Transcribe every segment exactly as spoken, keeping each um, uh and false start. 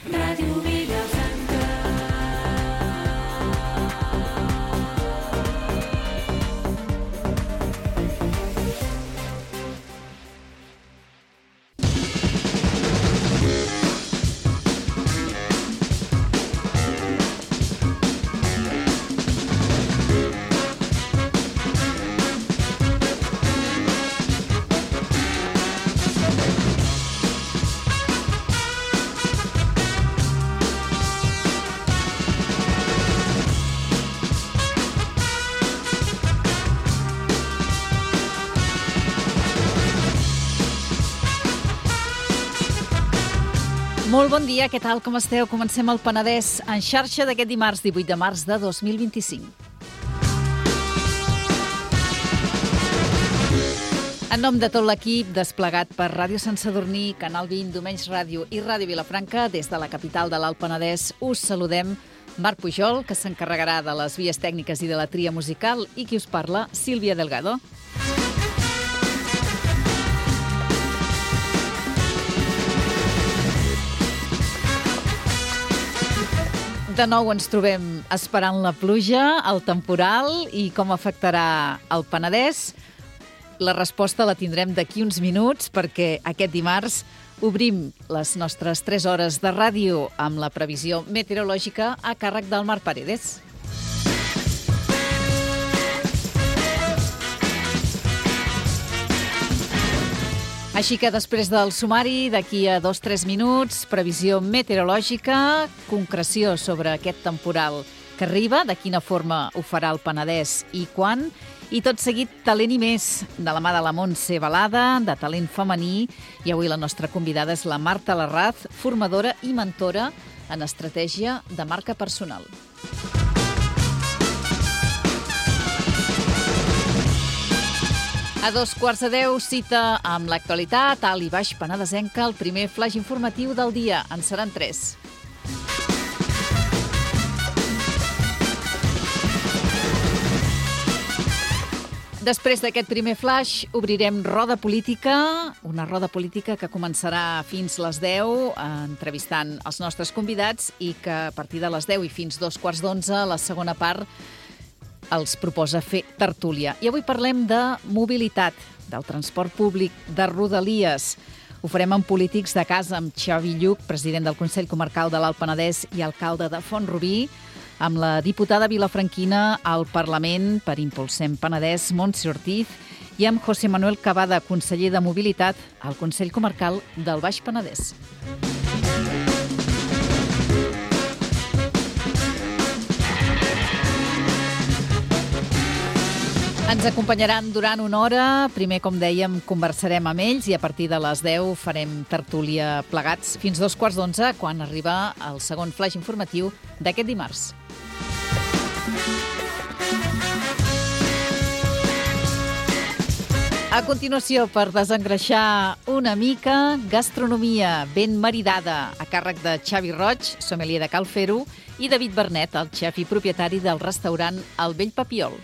Ràdio Vilafranca. Molt bon dia, què tal, com esteu? Comencem el Penedès en xarxa d'aquest dimarts divuit de març de dos mil vint-i-cinc. En nom de tot l'equip desplegat per Ràdio Sant Sadurní, Canal vint, Domenys Ràdio i Ràdio Vilafranca, des de la capital de l'Alt Penedès, us saludem Marc Pujol, que s'encarregarà de les vies tècniques i de la tria musical, i qui us parla, Sílvia Delgado. De nou ens trobem esperant la pluja, el temporal i com afectarà el Penedès. La resposta la tindrem d'aquí uns minuts perquè aquest dimarts obrim les nostres tres hores de ràdio amb la previsió meteorològica a càrrec del Marc Paredes. Així que després del sumari, d'aquí a dos o tres minuts, previsió meteorològica, concreció sobre aquest temporal que arriba, de quina forma ho farà el Penedès i quan, i tot seguit talent i més, de la mà de la Montse Balada, de talent femení, i avui la nostra convidada és la Marta Larraz, formadora i mentora en estratègia de marca personal. A dos quarts de deu, cita amb l'actualitat, alt i baix penedesenca, el primer flaix informatiu del dia. En seran tres. Després d'aquest primer flaix, obrirem roda política, una roda política que començarà fins les deu, entrevistant els nostres convidats, i que a partir de les deu i fins dos quarts d'onze, la segona part, els proposa fer tertúlia. I avui parlem de mobilitat, del transport públic, de Rodalies. Ho farem amb polítics de casa, amb Xavi Lluch, president del Consell Comarcal de l'Alt Penedès i alcalde de Font-rubí, amb la diputada vilafranquina al Parlament per Impulsem Penedès, Montse Ortiz, i amb José Manuel Cavada, conseller de Mobilitat al Consell Comarcal del Baix Penedès. Ens acompanyaran durant una hora. Primer, com dèiem, conversarem amb ells i a partir de les deu farem tertúlia plegats fins dos quarts d'onze, quan arriba el segon flaix informatiu d'aquest dimarts. A continuació, per desengreixar una mica, gastronomia ben maridada, a càrrec de Xavi Roig, sommelier de Cal Fer-ho, i David Bernet, el xef i propietari del restaurant El Vell Papiol.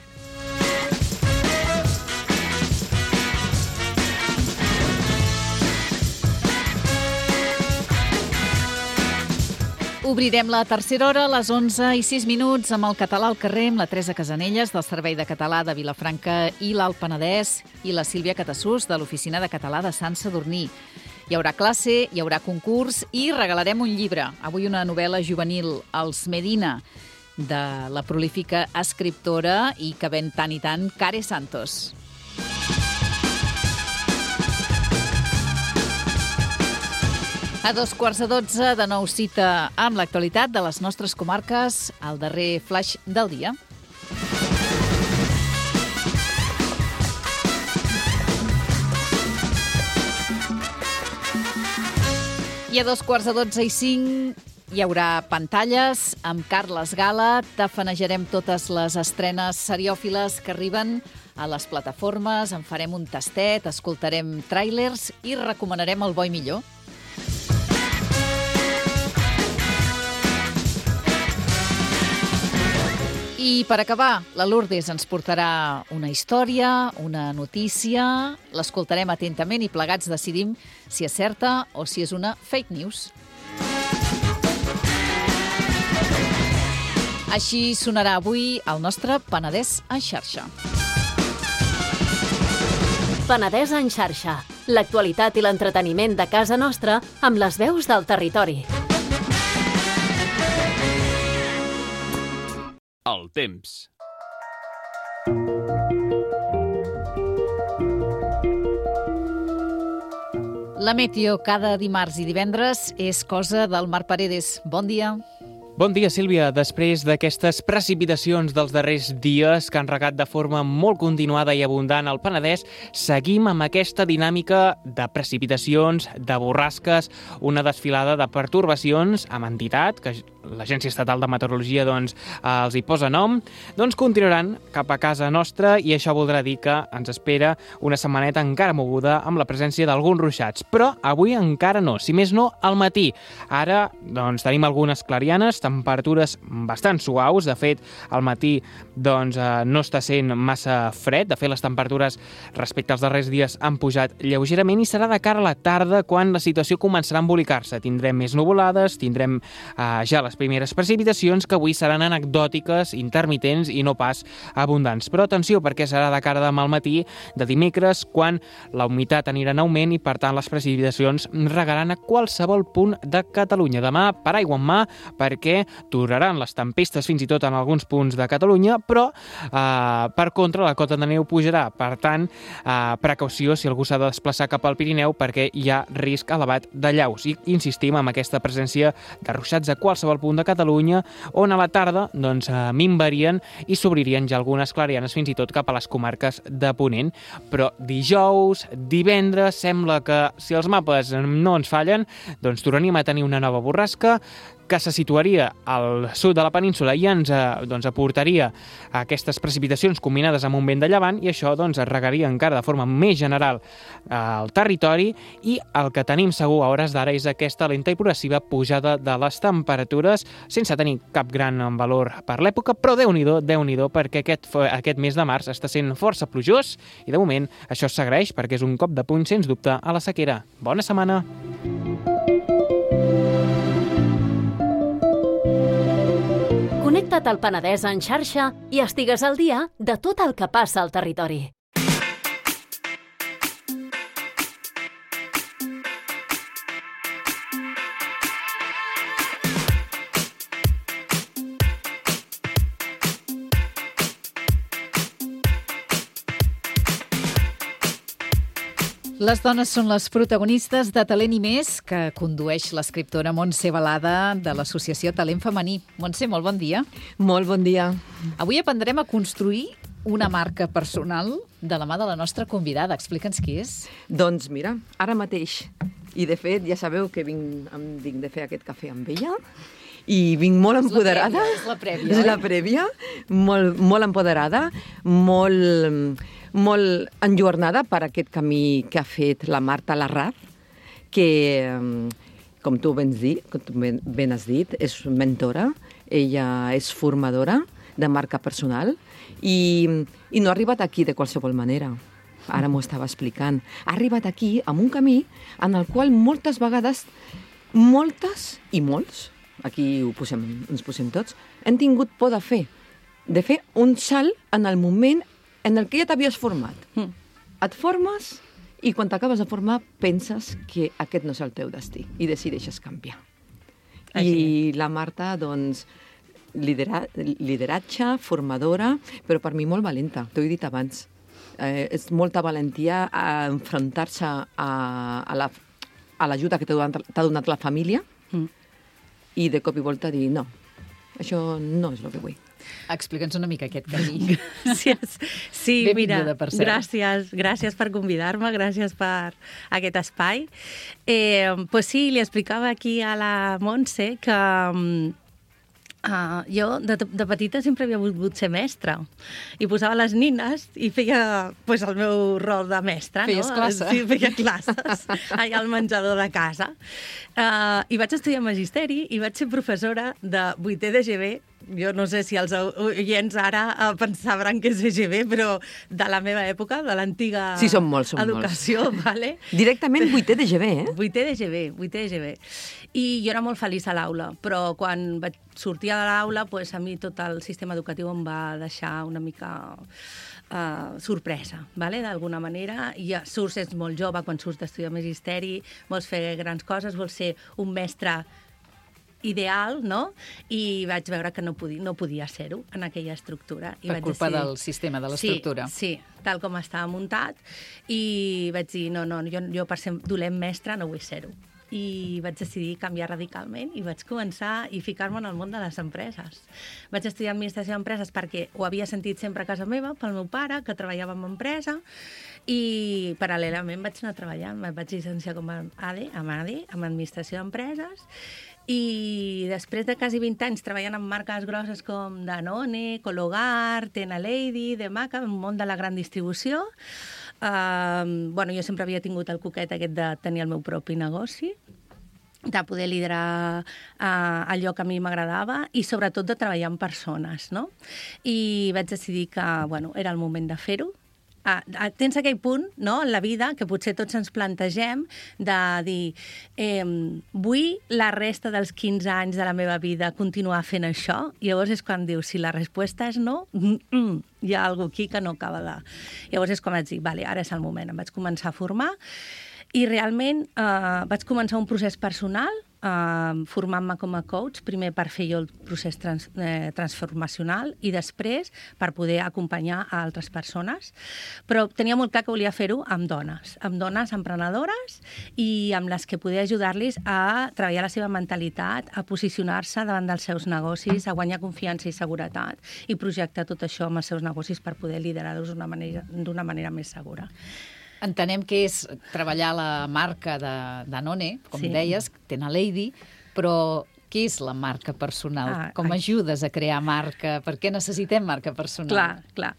Obrirem la tercera hora a les onze i sis minuts amb el Català al carrer, amb la Teresa Casanelles, del Servei de Català de Vilafranca i l'Alt Penedès, i la Sílvia Catassús, de l'Oficina de Català de Sant Sadurní. Hi haurà classe, hi haurà concurs i regalarem un llibre. Avui una novel·la juvenil, Els Medina, de la prolífica escriptora i que ven tant i tant, Care Santos. A dos quarts de dotze, de nou cita amb l'actualitat de les nostres comarques, el darrer flaix del dia. I a dos quarts de dotze i cinc hi haurà pantalles amb Carles Gala. Tafanejarem totes les estrenes seriòfiles que arriben a les plataformes, en farem un tastet, escoltarem tràilers i recomanarem el bo i millor. I per acabar, la Lourdes ens portarà una història, una notícia, l'escoltarem atentament i plegats decidim si és certa o si és una fake news. Així sonarà avui el nostre Penedès en xarxa. Penedès en xarxa. L'actualitat i l'entreteniment de casa nostra amb les veus del territori. El temps. La meteo cada dimarts i divendres és cosa del Marc Paredes. Bon dia. Bon dia, Sílvia. Després d'aquestes precipitacions dels darrers dies que han regat de forma molt continuada i abundant al Penedès, seguim amb aquesta dinàmica de precipitacions, de borrasques, una desfilada de pertorbacions amb entitat, que l'Agència Estatal de Meteorologia doncs, els hi posa nom, doncs continuaran cap a casa nostra i això voldrà dir que ens espera una setmaneta encara moguda amb la presència d'alguns ruixats. Però avui encara no, si més no, al matí. Ara doncs, tenim algunes clarianes, temperatures bastant suaus. De fet, al matí doncs, eh, no està sent massa fred. De fet, les temperatures respecte als darrers dies han pujat lleugerament i serà de cara a la tarda quan la situació començarà a embolicar-se. Tindrem més nuvolades, tindrem eh, ja les primeres precipitacions que avui seran anecdòtiques, intermitents i no pas abundants. Però atenció, perquè serà de cara demà al matí de dimecres quan la humitat anirà en augment i, per tant, les precipitacions regaran a qualsevol punt de Catalunya. Demà, paraigua en mà, perquè duraran les tempestes fins i tot en alguns punts de Catalunya, però eh, per contra la cota de neu pujarà. Per tant, eh, precaució si algú s'ha de desplaçar cap al Pirineu perquè hi ha risc elevat de llaus. I insistim en aquesta presència de ruixats a qualsevol punt de Catalunya, on a la tarda doncs, eh, minvarien i s'obririen ja algunes clarianes fins i tot cap a les comarques de Ponent. Però dijous, divendres, sembla que si els mapes no ens fallen, doncs tornaríem a tenir una nova borrasca que se situaria al sud de la península i ens eh, doncs, aportaria aquestes precipitacions combinades amb un vent de llevant i això doncs, regaria encara de forma més general eh, el territori i el que tenim segur a hores d'ara és aquesta lenta i progressiva pujada de les temperatures sense tenir cap gran valor per l'època, però Déu-n'hi-do, Déu-n'hi-do, perquè aquest, aquest mes de març està sent força plujós i de moment això s'agraeix perquè és un cop de puny sens dubte a la sequera. Bona setmana! Connecta't al Penedès en xarxa i estigues al dia de tot el que passa al territori. Les dones són les protagonistes de Talent i Més, que condueix l'escriptora Montse Balada de l'associació Talent Femení. Montse, molt bon dia. Molt bon dia. Avui aprendrem a construir una marca personal de la mà de la nostra convidada. Explica'ns qui és. Doncs mira, ara mateix, i de fet ja sabeu que vinc, em dic de fer aquest cafè amb ella, i vinc molt empoderada. És la prèvia, és la prèvia, molt, molt empoderada, molt, molt enjornada per aquest camí que ha fet la Marta Larraz, que, com tu ben, dit, com tu ben, ben has dit, és mentora, ella és formadora de marca personal i, i no ha arribat aquí de qualsevol manera. Ara m'ho estava explicant. Ha arribat aquí amb un camí en el qual moltes vegades, moltes i molts, aquí ho posem, ens posem tots, hem tingut por de fer, de fer un salt en el moment en el que ja t'havies format. Mm. Et formes i quan t'acabes de formar penses que aquest no és el teu destí i decideixes canviar. Així. I la Marta, doncs, lidera, lideratge, formadora, però per mi molt valenta, t'ho he dit abans. Eh, és molta valentia a enfrontar-se a, a la a l'ajuda que t'ha donat, donat la família mm. i de cop i volta dir no, això no és el que vull. Explica'ns una mica aquest camí. Gràcies. Sí, Benvinguda, mira, per cert. gràcies, gràcies per convidar-me, gràcies per aquest espai. Eh, pues sí, li explicava aquí a la Montse que uh, jo de, de petita sempre havia volgut ser mestra i posava les nines i feia pues, el meu rol de mestra. Feies no? classe. Sí, feia classes allà al menjador de casa. Uh, I vaig estudiar magisteri i vaig ser professora de vuitè de G B jo no sé si els oients ara eh, pensaran que és E G B, però de la meva època, de l'antiga Sí, són molts, són educació, molts. vale? Directament vuitè de G B, eh? Vuitè de G B, vuitè de G B. I jo era molt feliç a l'aula, però quan vaig sortir de l'aula, pues, a mi tot el sistema educatiu em va deixar una mica uh, sorpresa, vale? D'alguna manera. I ja surts, ets molt jove, quan surts d'estudiar magisteri, vols fer grans coses, vols ser un mestre ideal, no? I vaig veure que no podia, no podia ser-ho en aquella estructura. I Per vaig culpa decidir... del sistema, de l'estructura. Sí, sí, tal com estava muntat. I vaig dir, no, no, jo, jo per ser dolent mestre no vull ser-ho. I vaig decidir canviar radicalment i vaig començar i ficar-me en el món de les empreses. Vaig estudiar administració d'empreses perquè ho havia sentit sempre a casa meva, pel meu pare, que treballava en empresa, i paral·lelament vaig anar treballant. Em vaig llicenciar com a A D, amb A D, amb administració d'empreses, i després de quasi vint anys treballant en marques grosses com Danone, Cologar, Tena Lady, Demaca, en el món de la gran distribució, Uh, bueno, jo sempre havia tingut el coquet aquest de tenir el meu propi negoci, de poder liderar uh, allò que a mi m'agradava i sobretot de treballar amb persones, no? I vaig decidir que, bueno, era el moment de fer-ho. Ah, tens aquell punt, no?, en la vida que potser tots ens plantegem de dir eh, vull la resta dels quinze anys de la meva vida continuar fent això? I llavors és quan dius, si la resposta és no, mm -mm, hi ha alguna aquí que no acaba de... Llavors és quan vaig dir, vale, ara és el moment. Em vaig començar a formar i realment eh, vaig començar un procés personal Uh, formant-me com a coach, primer per fer jo el procés trans, eh, transformacional i després per poder acompanyar a altres persones. Però tenia molt clar que volia fer-ho amb dones, amb dones emprenedores i amb les que poder ajudar-los a treballar la seva mentalitat, a posicionar-se davant dels seus negocis, a guanyar confiança i seguretat i projectar tot això amb els seus negocis per poder liderar-los d'una manera, d'una manera més segura. Entenem que és treballar la marca de Danone, com Sí. deies, Tena Lady, però què és la marca personal? Ah, com ai. ajudes a crear marca? Per què necessitem marca personal? Clar, clar.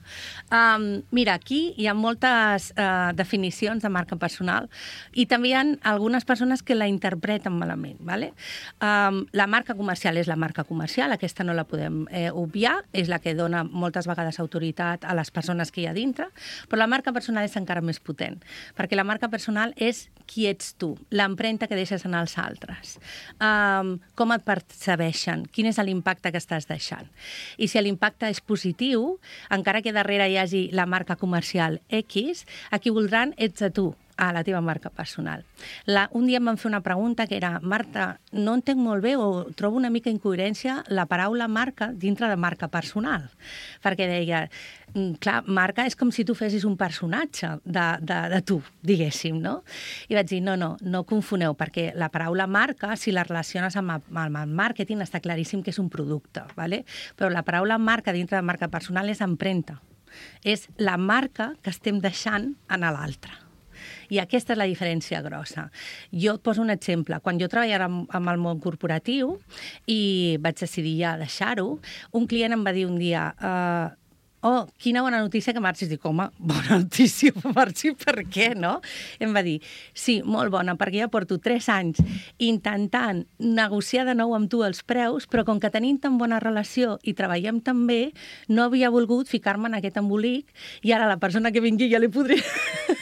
Um, mira, aquí hi ha moltes uh, definicions de marca personal i també hi ha algunes persones que la interpreten malament. ¿Vale? Um, la marca comercial és la marca comercial, aquesta no la podem eh, obviar, és la que dona moltes vegades autoritat a les persones que hi ha dintre, però la marca personal és encara més potent, perquè la marca personal és qui ets tu, l'empremta que deixes en els altres, um, com et percebeixen, quin és l'impacte que estàs deixant. I si l'impacte és positiu, encara que darrere hi hagi la marca comercial X, a qui voldran ets a tu, a la teva marca personal. La, un dia em van fer una pregunta que era, Marta, no entenc molt bé o trobo una mica incoherència la paraula marca dintre de marca personal. Perquè deia, clar, marca és com si tu fessis un personatge de, de, de tu, diguéssim, no? I vaig dir, no, no, no confoneu, perquè la paraula marca, si la relaciones amb, amb el màrqueting, està claríssim que és un producte, ¿vale? Però la paraula marca dintre de marca personal és empremta. És la marca que estem deixant en l'altre. I aquesta és la diferència grossa. Jo et poso un exemple. Quan jo treballava amb, amb el món corporatiu i vaig decidir ja deixar-ho, un client em va dir un dia... Uh, oh, quina bona notícia que marxis. Dic, home, bona notícia que marxi, per què, no? I em va dir, sí, molt bona, perquè ja porto tres anys intentant negociar de nou amb tu els preus, però com que tenim tan bona relació i treballem tan bé, no havia volgut ficar-me en aquest embolic i ara la persona que vingui ja li podria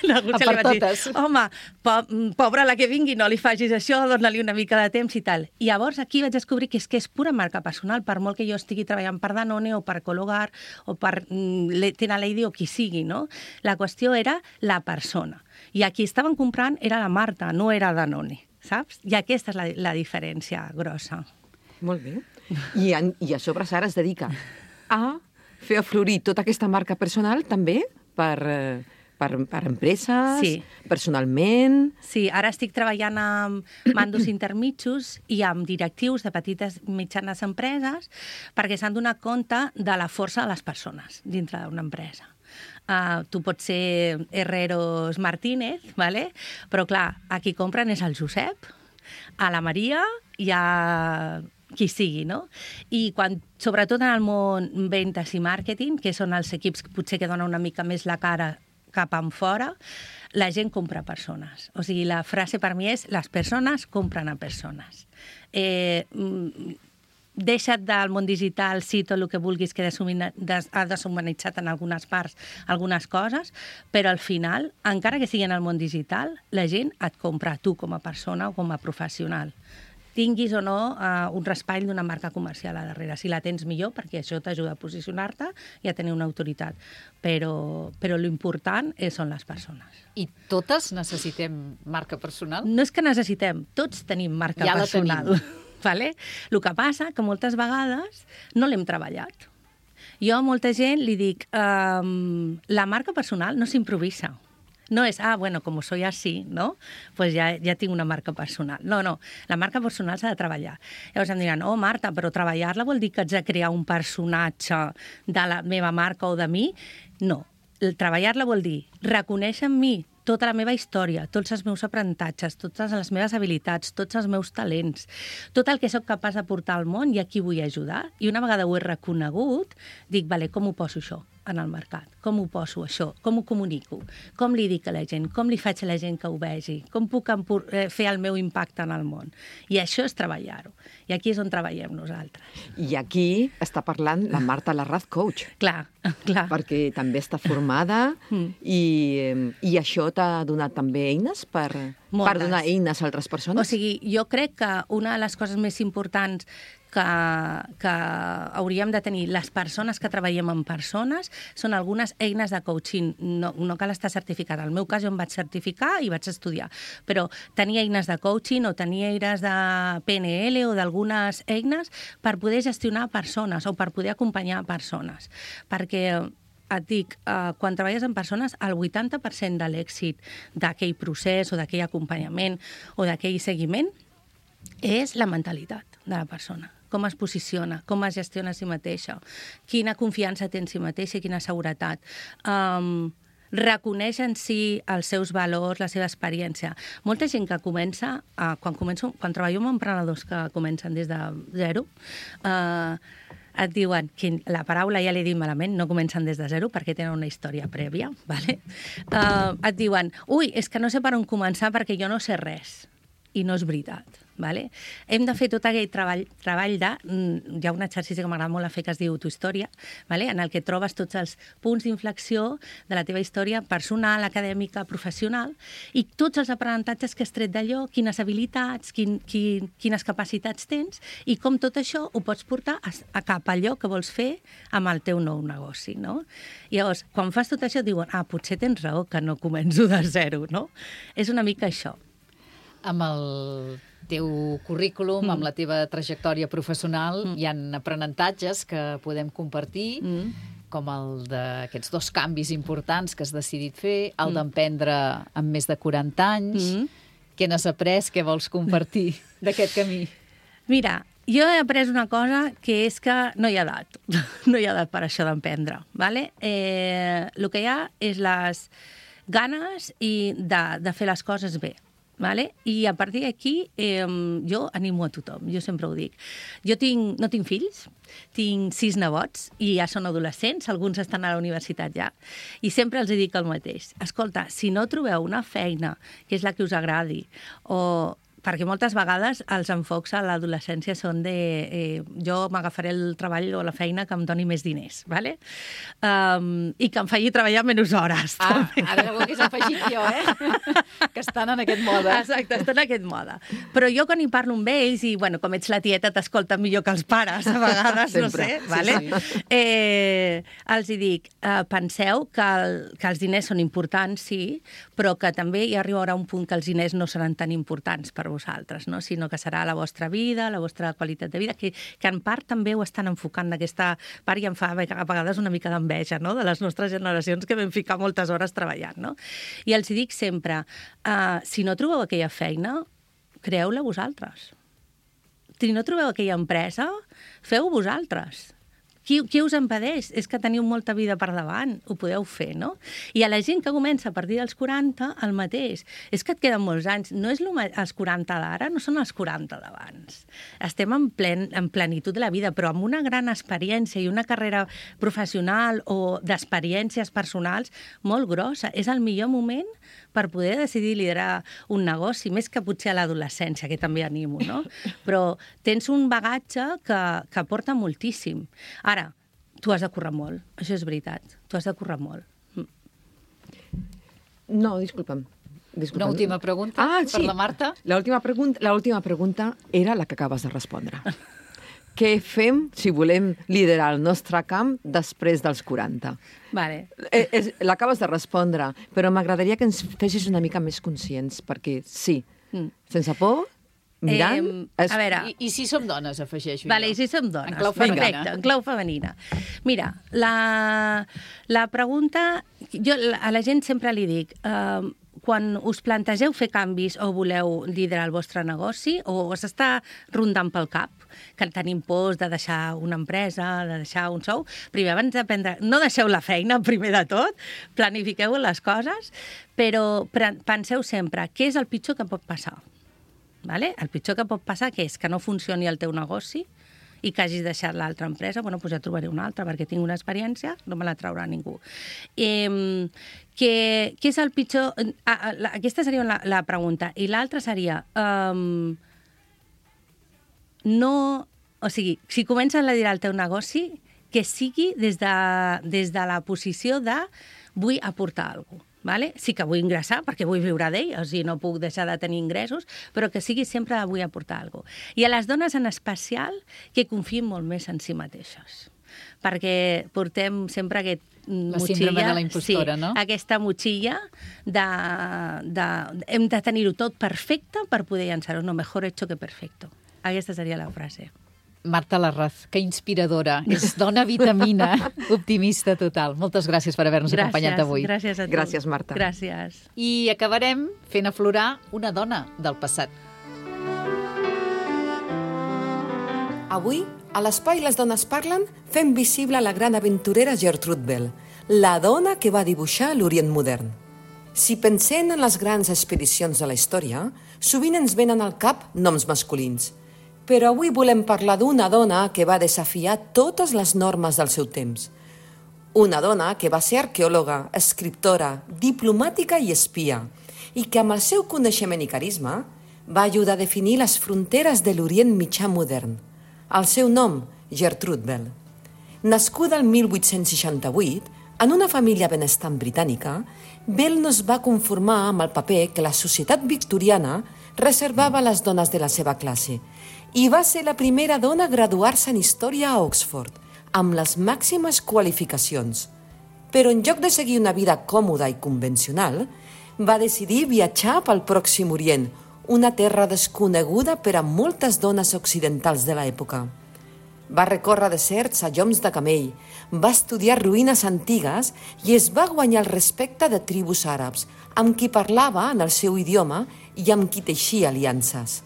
negociar. Per Li vaig totes. dir, home, po pobra la que vingui, no li facis això, dona-li una mica de temps i tal. I llavors aquí vaig descobrir que és que és pura marca personal, per molt que jo estigui treballant per Danone o per Cologar o per Tena Lady o qui sigui, no? La qüestió era la persona. I a qui estaven comprant era la Marta, no era Danone, saps? I aquesta és la, la diferència grossa. Molt bé. I, en, I a sobre Sara es dedica a fer aflorir tota aquesta marca personal també per, eh, per, per empreses, Sí. personalment... Sí, ara estic treballant amb mandos intermitjos i amb directius de petites i mitjanes empreses perquè s'han donat compte de la força de les persones dintre d'una empresa. Uh, tu pots ser Herreros Martínez, ¿vale? Però clar, a qui compren és el Josep, a la Maria i a qui sigui, no? I quan, sobretot en el món ventes i màrqueting, que són els equips que potser que donen una mica més la cara cap en fora, la gent compra persones. O sigui, la frase per mi és les persones compren a persones. Eh, deixa't del món digital, sí, tot el que vulguis, que ha deshumanitzat en algunes parts algunes coses, però al final, encara que sigui en el món digital, la gent et compra a tu com a persona o com a professional. Tinguis o no uh, un raspall d'una marca comercial a darrere. Si la tens millor, perquè això t'ajuda a posicionar-te i a tenir una autoritat. Però, però l'important és, són les persones. I totes necessitem marca personal? No és que necessitem, tots tenim marca ja personal. La tenim. Vale? El que passa que moltes vegades no l'hem treballat. Jo a molta gent li dic um, la marca personal no s'improvisa. No és, ah, bueno, com soy así, no? Pues ja, ja tinc una marca personal. No, no, la marca personal s'ha de treballar. Llavors em diran, oh, Marta, però treballar-la vol dir que haig de crear un personatge de la meva marca o de mi? No, treballar-la vol dir reconèixer en mi tota la meva història, tots els meus aprenentatges, totes les meves habilitats, tots els meus talents, tot el que sóc capaç de portar al món i a qui vull ajudar. I una vegada ho he reconegut, dic, vale, com ho poso això en el mercat? Com ho poso això? Com ho comunico? Com li dic a la gent? Com li faig a la gent que ho vegi? Com puc fer el meu impacte en el món? I això és treballar-ho. I aquí és on treballem nosaltres. I aquí està parlant la Marta Larraz, coach. Clar, clar. Perquè també està formada mm. i, i això t'ha donat també eines per, per donar eines a altres persones? O sigui, jo crec que una de les coses més importants que, que hauríem de tenir les persones que treballem amb persones són algunes eines de coaching. No, no cal estar certificat. En el meu cas jo em vaig certificar i vaig estudiar, però tenir eines de coaching o tenir eines de P N L o d'algunes eines per poder gestionar persones o per poder acompanyar persones. Perquè et dic, eh, quan treballes amb persones, el vuitanta per cent de l'èxit d'aquell procés o d'aquell acompanyament o d'aquell seguiment és la mentalitat de la persona. Com es posiciona, com es gestiona a si mateixa, quina confiança té en si mateixa i quina seguretat. Um, reconeix en si els seus valors, la seva experiència. Molta gent que comença, uh, quan, començo, quan treballo amb emprenedors que comencen des de zero, uh, et diuen, que la paraula ja l'he dit malament, no comencen des de zero perquè tenen una història prèvia, ¿vale? uh, et diuen, ui, és que no sé per on començar perquè jo no sé res. I no és veritat. Vale? Hem de fer tot aquell treball, treball de... Hi ha un exercici que m'agrada molt a fer que es diu Tu història, vale? En el que trobes tots els punts d'inflexió de la teva història personal, acadèmica, professional, i tots els aprenentatges que has tret d'allò, quines habilitats, quin, quin, quines capacitats tens, i com tot això ho pots portar a, a cap allò que vols fer amb el teu nou negoci. No? I llavors, quan fas tot això, diuen, ah, potser tens raó que no començo de zero, no? És una mica això. Amb el teu currículum, mm. amb la teva trajectòria professional, mm. hi ha aprenentatges que podem compartir, mm. com el d'aquests dos canvis importants que has decidit fer, el mm. d'emprendre amb més de quaranta anys. Mm. Què n'has après? Què vols compartir d'aquest camí? Mira, jo he après una cosa que és que no hi ha edat. No hi ha edat per això d'emprendre. ¿Vale? Eh, el que hi ha és les ganes i de, de fer les coses bé. Vale? I a partir d'aquí eh, jo animo a tothom, jo sempre ho dic. Jo tinc, no tinc fills, tinc sis nebots i ja són adolescents, alguns estan a la universitat ja, i sempre els dic el mateix. Escolta, si no trobeu una feina que és la que us agradi, o perquè moltes vegades els enfocs a l'adolescència són de eh, jo m'agafaré el treball o la feina que em doni més diners, ¿vale? Um, i que em faci treballar menys hores. Ah, també. Ara algú que s'ha afegit jo, eh? Que estan en aquest mode. Exacte, estan en aquest mode. Però jo quan hi parlo amb ells, i bueno, com ets la tieta t'escolta millor que els pares, a vegades, no sé, sí, ¿vale? Sí. Eh, els hi dic, eh, penseu que, el, que els diners són importants, sí, però que també hi arribarà un punt que els diners no seran tan importants per vosaltres, no? Sinó que serà la vostra vida, la vostra qualitat de vida, que, que en part també ho estan enfocant d'aquesta part i em fa a vegades una mica d'enveja, no? De les nostres generacions que vam ficar moltes hores treballant, no? I els dic sempre, uh, si no trobeu aquella feina, creeu-la vosaltres. Si no trobeu aquella empresa, feu-ho vosaltres. qui, qui us impedeix? És que teniu molta vida per davant, ho podeu fer, no? I a la gent que comença a partir dels quaranta, el mateix. És que et queden molts anys. No és lo, els quaranta d'ara, no són els quaranta d'abans. Estem en, plen, en plenitud de la vida, però amb una gran experiència i una carrera professional o d'experiències personals molt grossa. És el millor moment per poder decidir liderar un negoci, més que potser a l'adolescència, que també animo, no? Però tens un bagatge que, que porta moltíssim. Ara, tu has de córrer molt, això és veritat, tu has de córrer molt. No, disculpa'm. Disculpa'm. Una última pregunta ah, per sí. la Marta. L'última pregunta, l'última pregunta era la que acabes de respondre. Què fem si volem liderar el nostre camp després dels quaranta? Vale. Eh, eh, L'acabes de respondre, però m'agradaria que ens fessis una mica més conscients, perquè sí, mm. sense por, mirant... Eh, es... A veure... I, I si som dones, afegeixo Vale, jo. i si som dones. En clau Perfecte, femenina. en clau femenina. Mira, la, la pregunta... Jo a la gent sempre li dic... Eh, quan us plantegeu fer canvis o voleu liderar el vostre negoci o us està rondant pel cap que tenim pors de deixar una empresa, de deixar un sou, primer abans d'aprendre... No deixeu la feina, primer de tot, planifiqueu les coses, però penseu sempre què és el pitjor que pot passar. Vale? El pitjor que pot passar que és que no funcioni el teu negoci i que hagis deixat l'altra empresa, bueno, doncs ja trobaré una altra, perquè tinc una experiència, no me la traurà ningú. Eh, què, què és el pitjor... Ah, la, aquesta seria la, la pregunta. I l'altra seria... Um, no... O sigui, si comences a liderar el teu negoci, que sigui des de, des de la posició de vull aportar alguna cosa. Vale? Sí que vull ingressar, perquè vull viure d'ell, o sigui, no puc deixar de tenir ingressos, però que sigui sempre de vull aportar alguna cosa. I a les dones en especial, que confiïn molt més en si mateixes. Perquè portem sempre aquest la motxilla... síndrome de la impostora, sí, no? Aquesta motxilla de... de hem de tenir-ho tot perfecte per poder llançar-ho. No, mejor hecho que perfecto. Aquesta seria la frase. Marta Larraz, que inspiradora. És dona vitamina, optimista total. Moltes gràcies per haver-nos acompanyat avui. Gràcies a tu. Gràcies, Marta. Gràcies. I acabarem fent aflorar una dona del passat. Avui, a l'Espai Les Dones Parlen, fem visible la gran aventurera Gertrude Bell, la dona que va dibuixar l'Orient modern. Si pensem en les grans expedicions de la història, sovint ens venen al cap noms masculins. Però avui volem parlar d'una dona que va desafiar totes les normes del seu temps. Una dona que va ser arqueòloga, escriptora, diplomàtica i espia, i que amb el seu coneixement i carisma va ajudar a definir les fronteres de l'Orient mitjà modern. El seu nom, Gertrude Bell. Nascuda el mil vuit-cents seixanta-vuit, en una família benestant britànica, Bell no es va conformar amb el paper que la societat victoriana reservava a les dones de la seva classe, i va ser la primera dona a graduar-se en Història a Oxford, amb les màximes qualificacions. Però en lloc de seguir una vida còmoda i convencional, va decidir viatjar pel Pròxim Orient, una terra desconeguda per a moltes dones occidentals de l'època. Va recórrer deserts a lloms de camell, va estudiar ruïnes antigues i es va guanyar el respecte de tribus àrabs, amb qui parlava en el seu idioma i amb qui teixia aliances.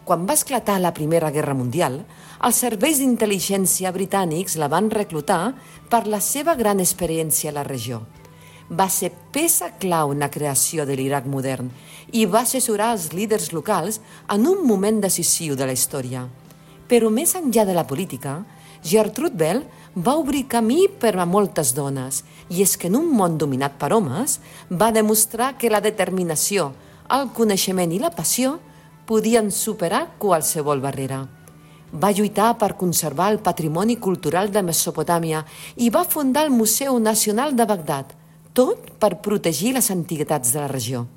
Quan va esclatar la Primera Guerra Mundial, els serveis d'intel·ligència britànics la van reclutar per la seva gran experiència a la regió. Va ser peça clau en la creació de l'Iraq modern i va assessorar els líders locals en un moment decisiu de la història. Però més enllà de la política, Gertrude Bell va obrir camí per a moltes dones, i és que en un món dominat per homes va demostrar que la determinació, el coneixement i la passió podien superar qualsevol barrera. Va lluitar per conservar el patrimoni cultural de Mesopotàmia i va fundar el Museu Nacional de Bagdad, tot per protegir les antiguitats de la regió.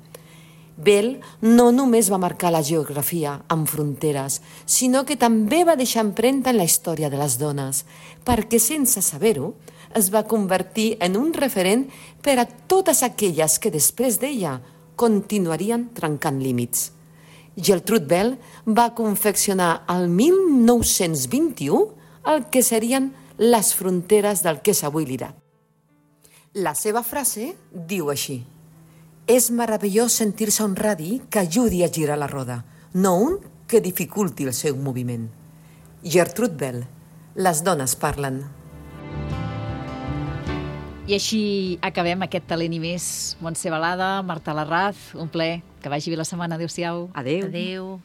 Bell no només va marcar la geografia amb fronteres, sinó que també va deixar empremta en la història de les dones, perquè sense saber-ho es va convertir en un referent per a totes aquelles que després d'ella continuarien trencant límits. Gertrude Bell va confeccionar el mil nou-cents vint-i-u el que serien les fronteres del que és avui l'Iraq. La seva frase diu així: és meravellós sentir-se un radi que ajudi a girar la roda, no un que dificulti el seu moviment. Gertrude Bell, les dones parlen. I així acabem aquest Talent i més. Montse Balada, Marta Larraz, un plaer. Que vagi bé la setmana. Adéu-siau. Adéu. Adéu.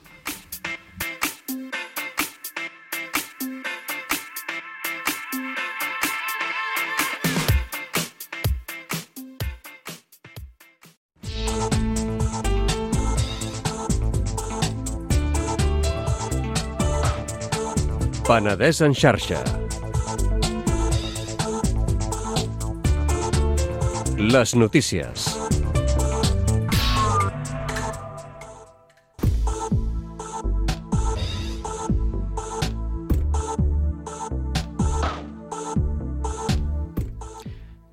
Penedès en xarxa. Les notícies.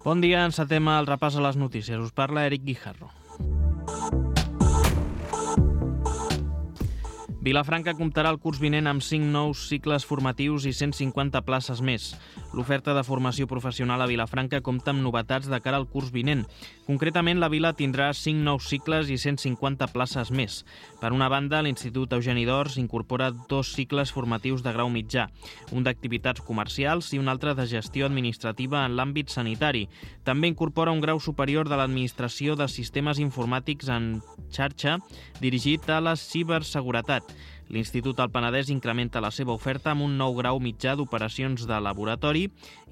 Bon dia, encetem el repàs a les notícies. Us parla Eric Guijarro. Vilafranca comptarà el curs vinent amb cinc nous cicles formatius i cent cinquanta places més. L'oferta de formació professional a Vilafranca compta amb novetats de cara al curs vinent. Concretament, la vila tindrà cinc nous cicles i cent cinquanta places més. Per una banda, l'Institut Eugeni d'Ors incorpora dos cicles formatius de grau mitjà, un d'activitats comercials i un altre de gestió administrativa en l'àmbit sanitari. També incorpora un grau superior de l'Administració de Sistemes Informàtics en xarxa dirigit a la ciberseguretat. L'Institut del Penedès incrementa la seva oferta amb un nou grau mitjà d'operacions de laboratori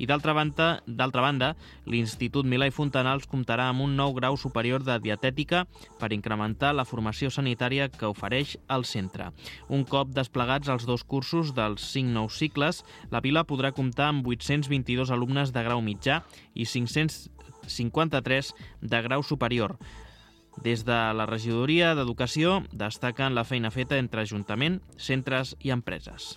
i, d'altra banda, d'altra banda, l'Institut Milà i Fontanals comptarà amb un nou grau superior de dietètica per incrementar la formació sanitària que ofereix el centre. Un cop desplegats els dos cursos dels cinc nous cicles, la vila podrà comptar amb vuit-cents vint-i-dos alumnes de grau mitjà i cinc-cents cinquanta-tres de grau superior. Des de la regidoria d'Educació destaquen la feina feta entre Ajuntament, centres i empreses.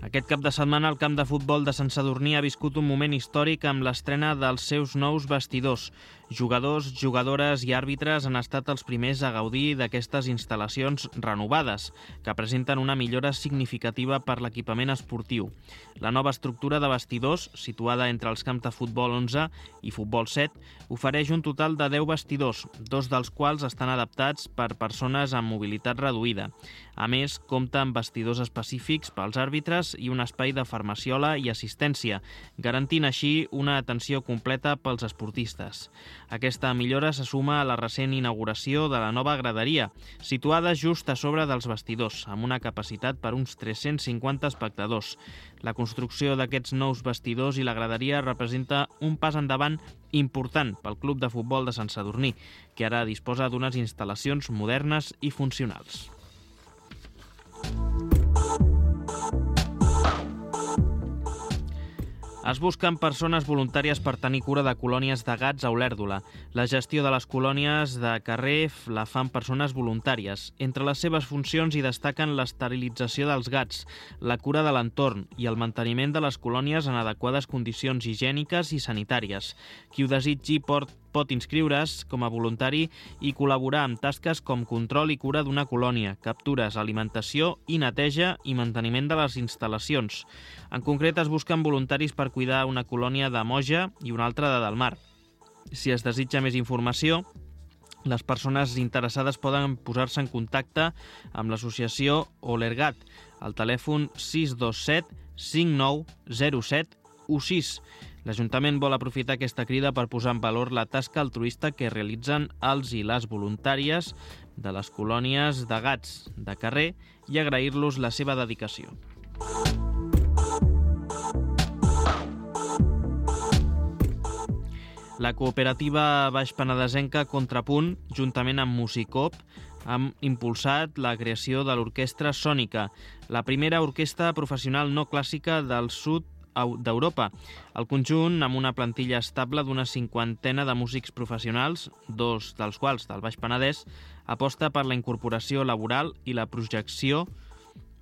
Aquest cap de setmana el camp de futbol de Sant Sadurní ha viscut un moment històric amb l'estrena dels seus nous vestidors. Jugadors, jugadores i àrbitres han estat els primers a gaudir d'aquestes instal·lacions renovades, que presenten una millora significativa per l'equipament esportiu. La nova estructura de vestidors, situada entre els camps de futbol onze i futbol set, ofereix un total de deu vestidors, dos dels quals estan adaptats per persones amb mobilitat reduïda. A més, compta amb vestidors específics pels àrbitres i un espai de farmaciola i assistència, garantint així una atenció completa pels esportistes. Aquesta millora se suma a la recent inauguració de la nova graderia, situada just a sobre dels vestidors, amb una capacitat per uns tres-cents cinquanta espectadors. La construcció d'aquests nous vestidors i la graderia representa un pas endavant important pel Club de Futbol de Sant Sadurní, que ara disposa d'unes instal·lacions modernes i funcionals. Es busquen persones voluntàries per tenir cura de colònies de gats a Olèrdola. La gestió de les colònies de carrer la fan persones voluntàries. Entre les seves funcions hi destaquen l'esterilització dels gats, la cura de l'entorn i el manteniment de les colònies en adequades condicions higièniques i sanitàries. Qui ho desitgi pot pot inscriure's com a voluntari i col·laborar amb tasques com control i cura d'una colònia, captures, alimentació i neteja i manteniment de les instal·lacions. En concret, es busquen voluntaris per cuidar una colònia de Moja i una altra de Delmar. Si es desitja més informació, les persones interessades poden posar-se en contacte amb l'associació Olergat, al telèfon sis dos set cinc nou zero set u sis. L'Ajuntament vol aprofitar aquesta crida per posar en valor la tasca altruista que realitzen els i les voluntàries de les colònies de gats de carrer i agrair-los la seva dedicació. La cooperativa baixpenedesenca Contrapunt, juntament amb Musicop, han impulsat la creació de l'Orquestra Sònica, la primera orquestra professional no clàssica del sud d'Europa. El conjunt, amb una plantilla estable d'una cinquantena de músics professionals, dos dels quals del Baix Penedès, aposta per la incorporació laboral i la projecció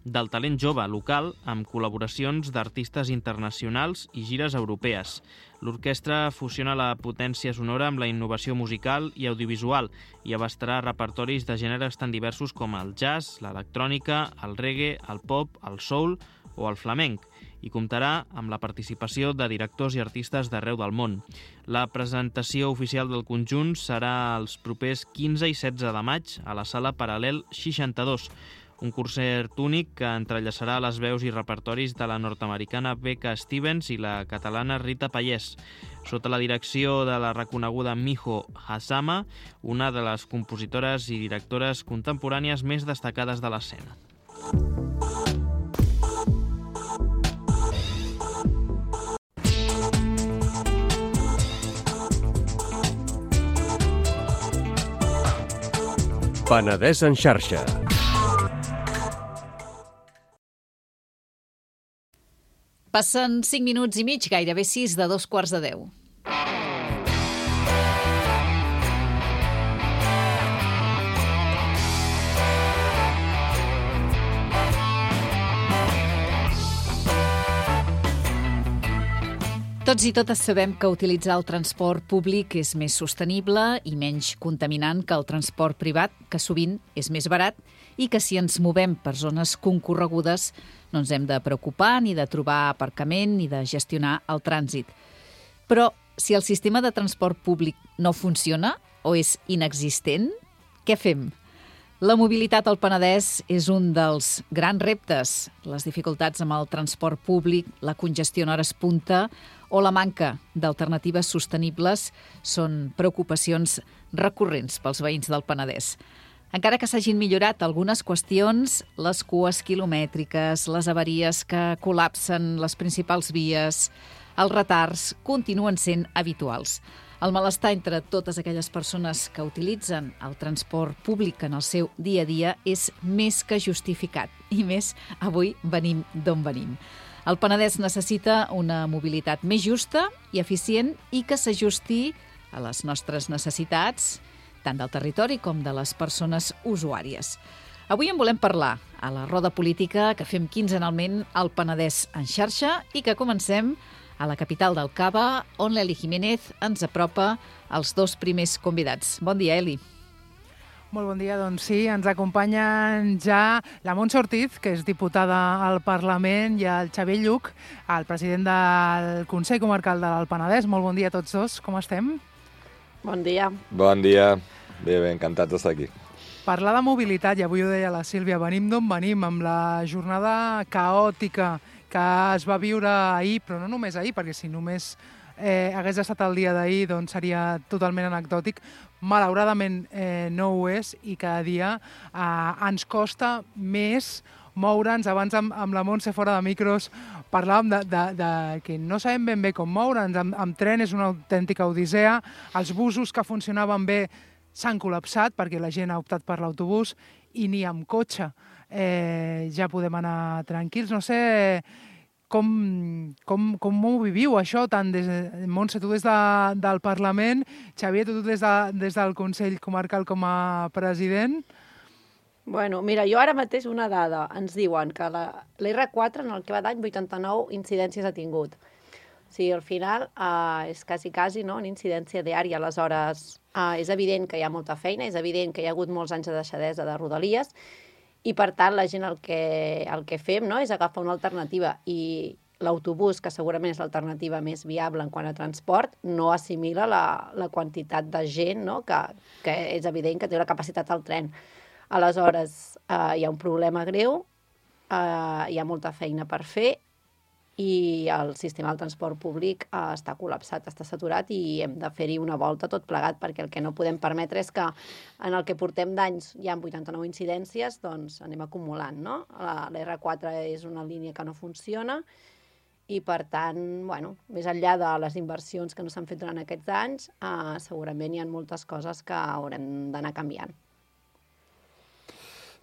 del talent jove local amb col·laboracions d'artistes internacionals i gires europees. L'orquestra fusiona la potència sonora amb la innovació musical i audiovisual i abastarà repertoris de gèneres tan diversos com el jazz, l'electrònica, el reggae, el pop, el soul o el flamenc, i comptarà amb la participació de directors i artistes d'arreu del món. La presentació oficial del conjunt serà els propers quinze i setze de maig a la sala Paral·lel seixanta-dos, un concert únic que entrellaçarà les veus i repertoris de la nord-americana Becca Stevens i la catalana Rita Pallès, sota la direcció de la reconeguda Miho Hazama, una de les compositores i directores contemporànies més destacades de l'escena. Penedès en xarxa. Passen cinc minuts i mig, gairebé sis de dos quarts de deu. Tots i totes sabem que utilitzar el transport públic és més sostenible i menys contaminant que el transport privat, que sovint és més barat, i que si ens movem per zones concorregudes no ens hem de preocupar ni de trobar aparcament ni de gestionar el trànsit. Però si el sistema de transport públic no funciona o és inexistent, què fem? La mobilitat al Penedès és un dels grans reptes. Les dificultats amb el transport públic, la congestió en hores punta o la manca d'alternatives sostenibles són preocupacions recurrents pels veïns del Penedès. Encara que s'hagin millorat algunes qüestions, les cues quilomètriques, les avaries que col·lapsen les principals vies, els retards continuen sent habituals. El malestar entre totes aquelles persones que utilitzen el transport públic en el seu dia a dia és més que justificat. I més, avui venim d'on venim. El Penedès necessita una mobilitat més justa i eficient i que s'ajusti a les nostres necessitats, tant del territori com de les persones usuàries. Avui en volem parlar a la roda política que fem quinzenalment al Penedès en xarxa i que comencem a la capital del Cava, on l'Eli Jiménez ens apropa els dos primers convidats. Bon dia, Eli. Molt bon dia, doncs sí, ens acompanyen ja la Montse Ortiz, que és diputada al Parlament, i el Xavier Lluc, el president del Consell Comarcal del Penedès. Molt bon dia a tots dos, com estem? Bon dia. Bon dia, bé, bé, encantats d'estar aquí. Parlar de mobilitat, i avui ho deia la Sílvia, venim d'on venim, amb la jornada caòtica que es va viure ahir, però no només ahir, perquè si només eh, hagués estat el dia d'ahir doncs seria totalment anecdòtic. Malauradament eh, no ho és i cada dia eh, ens costa més moure'ns. Abans amb, amb la Montse fora de micros parlàvem de, de, de que no sabem ben bé com moure'ns. Amb, amb tren és una autèntica odissea. Els busos que funcionaven bé s'han col·lapsat perquè la gent ha optat per l'autobús i ni amb cotxe eh, ja podem anar tranquils. No sé com, com, com ho viviu, això, tant des de Montse, tu des de, del Parlament, Xavier, tu des, de, des del Consell Comarcal com a president. Bueno, mira, jo ara mateix una dada. Ens diuen que la l'R quatre en el que va d'any vuitanta-nou incidències ha tingut. O sigui, al final eh, és quasi, quasi no? Una incidència diària. Aleshores, eh, és evident que hi ha molta feina, és evident que hi ha hagut molts anys de deixadesa de Rodalies i, per tant, la gent el que, el que fem no? És agafar una alternativa i l'autobús, que segurament és l'alternativa més viable en quant a transport, no assimila la, la quantitat de gent no? que, que és evident que té la capacitat al tren. Aleshores, eh, hi ha un problema greu, eh, hi ha molta feina per fer i el sistema del transport públic eh, està col·lapsat, està saturat i hem de fer-hi una volta tot plegat, perquè el que no podem permetre és que en el que portem d'anys hi ha vuitanta-nou incidències, doncs anem acumulant, no? La, la R quatre és una línia que no funciona i, per tant, bueno, més enllà de les inversions que no s'han fet durant aquests anys, eh, segurament hi ha moltes coses que haurem d'anar canviant.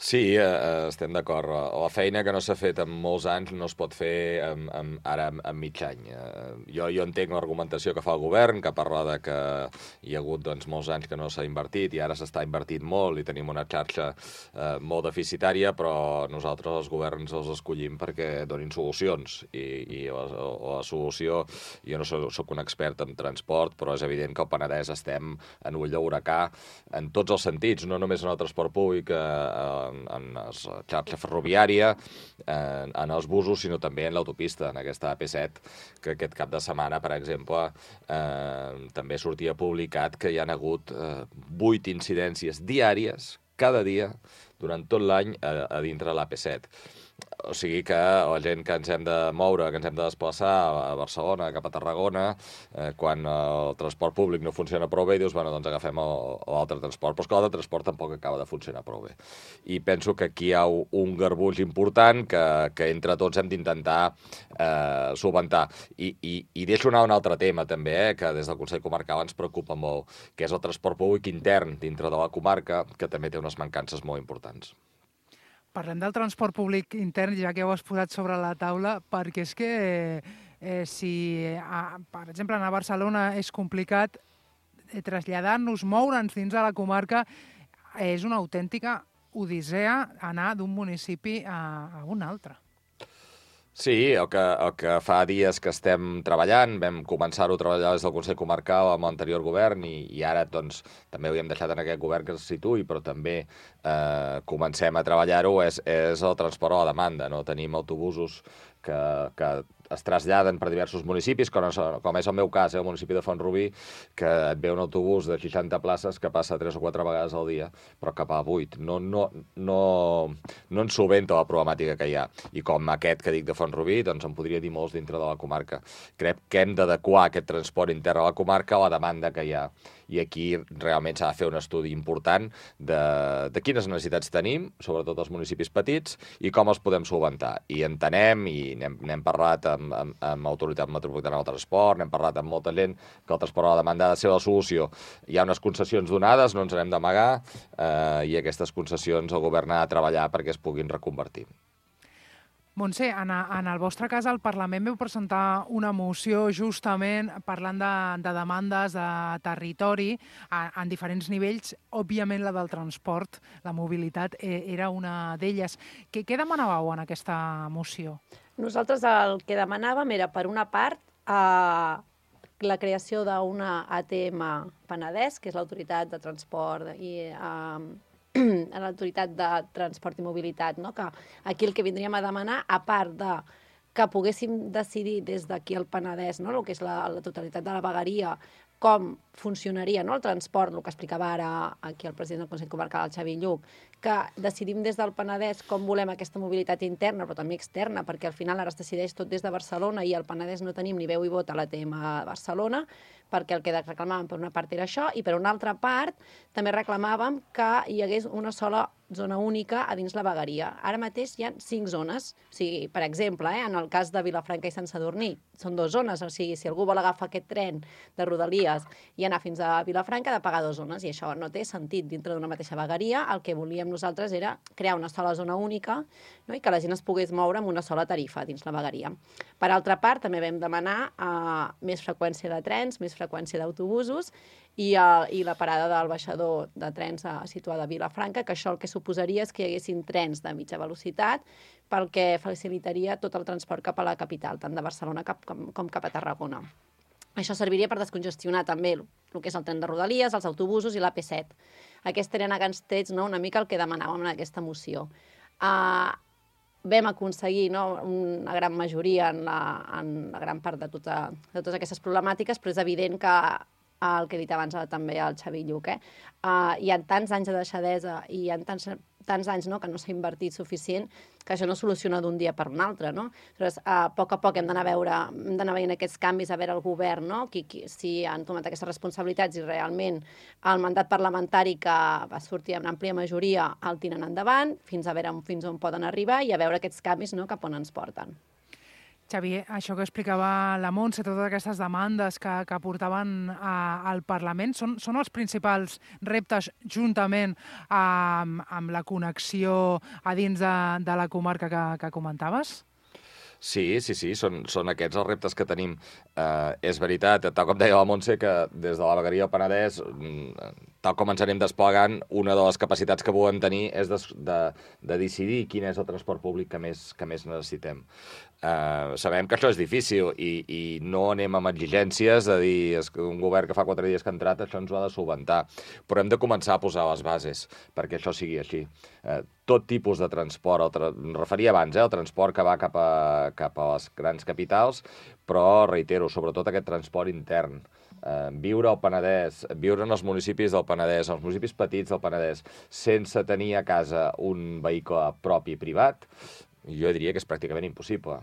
Sí, eh, estem d'acord. La feina que no s'ha fet en molts anys no es pot fer en, en, ara en, en mig any. Eh, jo, jo entenc l'argumentació que fa el govern, que parla de que hi ha hagut doncs, molts anys que no s'ha invertit i ara s'està invertit molt i tenim una xarxa eh, molt deficitària, però nosaltres els governs els escollim perquè donin solucions. I, i la, la solució, jo no soc, soc un expert en transport, però és evident que al Penedès estem en ull d'huracà en tots els sentits, no només en el transport públic, eh, en, en la xarxa ferroviària, en, en els busos, sinó també en l'autopista, en aquesta A P set, que aquest cap de setmana, per exemple, eh, també sortia publicat que hi ha hagut eh, vuit incidències diàries cada dia, durant tot l'any, a, a dintre de l'A P set. O sigui que la gent que ens hem de moure, que ens hem de desplaçar a Barcelona, cap a Tarragona, eh, quan el transport públic no funciona prou bé, dius, bueno, doncs agafem l'altre transport. Però és que l'altre transport tampoc acaba de funcionar prou bé. I penso que aquí hi ha un garbuix important que, que entre tots hem d'intentar eh, solventar. I, i, I deixo anar un altre tema, també, eh, que des del Consell Comarcal ens preocupa molt, que és el transport públic intern dintre de la comarca, que també té unes mancances molt importants. Parlem del transport públic intern, ja que ho has posat sobre la taula, perquè és que eh, si, a, per exemple, anar a Barcelona és complicat, eh, traslladar-nos, moure'ns dins de la comarca, és una autèntica odissea anar d'un municipi a, a un altre. Sí, el que, el que fa dies que estem treballant, vam començar-ho a treballar des del Consell Comarcal amb l'anterior govern i, i ara doncs, també ho hem deixat en aquest govern que es situï, però també eh, comencem a treballar-ho, és, és el transport a la demanda. No? Tenim autobusos que, que es traslladen per diversos municipis, com és, com és el meu cas, eh, el municipi de Font-rubí, que et ve un autobús de seixanta places que passa tres o quatre vegades al dia, però cap a vuit. No, no, no, no ens solventa la problemàtica que hi ha. I com aquest que dic de Font-rubí, doncs en podria dir molts dintre de la comarca. Crec que hem d'adequar aquest transport intern a la comarca a la demanda que hi ha. I aquí realment s'ha de fer un estudi important de, de quines necessitats tenim, sobretot els municipis petits, i com els podem solventar. I entenem, i n'hem, n'hem parlat amb, amb, amb Autoritat Metropolitana del Transport, n'hem parlat amb molta gent, que el transport a la demanda ha de ser la solució. Hi ha unes concessions donades, no ens n'hem d'amagar, eh, i aquestes concessions el govern ha de treballar perquè es puguin reconvertir. Montse, en, en el vostre cas, al Parlament veu presentar una moció justament parlant de, de demandes de territori a, en diferents nivells. Òbviament, la del transport, la mobilitat, eh, era una d'elles. Què, què demanàveu en aquesta moció? Nosaltres el que demanàvem era, per una part, eh, la creació d'una A T M Penedès, que és l'Autoritat de Transport i eh, a l'Autoritat de Transport i Mobilitat, no? Que aquí el que vindríem a demanar, a part de que poguéssim decidir des d'aquí al Penedès, no? El que és la, la totalitat de la vegueria, com funcionaria, no? El transport, el que explicava ara aquí el president del Consell Comarcal, el Xavi Lluc, que decidim des del Penedès com volem aquesta mobilitat interna, però també externa, perquè al final ara es decideix tot des de Barcelona i al Penedès no tenim ni veu i vot a l'A T M a Barcelona, perquè el que reclamàvem per una part era això, i per una altra part també reclamàvem que hi hagués una sola zona única a dins la vegueria. Ara mateix hi ha cinc zones. O sigui, per exemple, eh, en el cas de Vilafranca i Sant Sadurní, són dues zones. O sigui, si algú vol agafar aquest tren de Rodalies i anar fins a Vilafranca, ha de pagar dues zones, i això no té sentit dintre d'una mateixa vegueria. El que volíem nosaltres era crear una sola zona única, no? I que la gent es pogués moure amb una sola tarifa dins la vegueria. Per altra part, també vam demanar uh, més freqüència de trens, més freqüència d'autobusos, i, uh, i la parada del baixador de trens uh, situada a Vilafranca, que això el que suposaria és que hi haguessin trens de mitja velocitat, pel que facilitaria tot el transport cap a la capital, tant de Barcelona cap, com, com cap a Tarragona. Això serviria per descongestionar també el, el que és el tren de Rodalies, els autobusos i l'A P set. Aquests eren a grans trets, no?, una mica el que demanàvem en aquesta moció. Uh, vam aconseguir, no?, una gran majoria en la, en la gran part de, tota, de totes aquestes problemàtiques, però és evident que el que he dit abans també el Xavi Lluc, eh? Uh, hi ha tants anys de deixadesa i hi ha tants, tants anys, no?, que no s'ha invertit suficient, que això no soluciona d'un dia per un altre, no? Llavors, uh, a poc a poc hem d'anar a veure, hem d'anar veient aquests canvis, a veure el govern, no?, qui, qui, si han tomat aquestes responsabilitats i realment el mandat parlamentari que va sortir amb àmplia majoria el tiren endavant, fins a veure fins on poden arribar i a veure aquests canvis, no?, cap on ens porten. Xavier, això que explicava la Montse, totes aquestes demandes que, que portaven a, al Parlament, són, són els principals reptes juntament amb, amb la connexió a dins de, de la comarca que, que comentaves? Sí, sí, sí, són, són aquests els reptes que tenim. Eh, és veritat, tal com deia la Montse, que des de la vegueria del Penedès, tal com ens anem desplegant, una de les capacitats que volem tenir és de, de, de decidir quin és el transport públic que més, que més necessitem. Eh, sabem que això és difícil i, i no anem amb exigències de dir és que un govern que fa quatre dies que ha entrat això ens ho ha de solventar, però hem de començar a posar les bases perquè això sigui així. Eh, tot tipus de transport, el tra... em referia abans, eh, el transport que va cap a, cap a les grans capitals, però, reitero, sobretot aquest transport intern. eh, viure al Penedès, viure en els municipis del Penedès, en els municipis petits del Penedès, sense tenir a casa un vehicle propi privat, jo diria que és pràcticament impossible.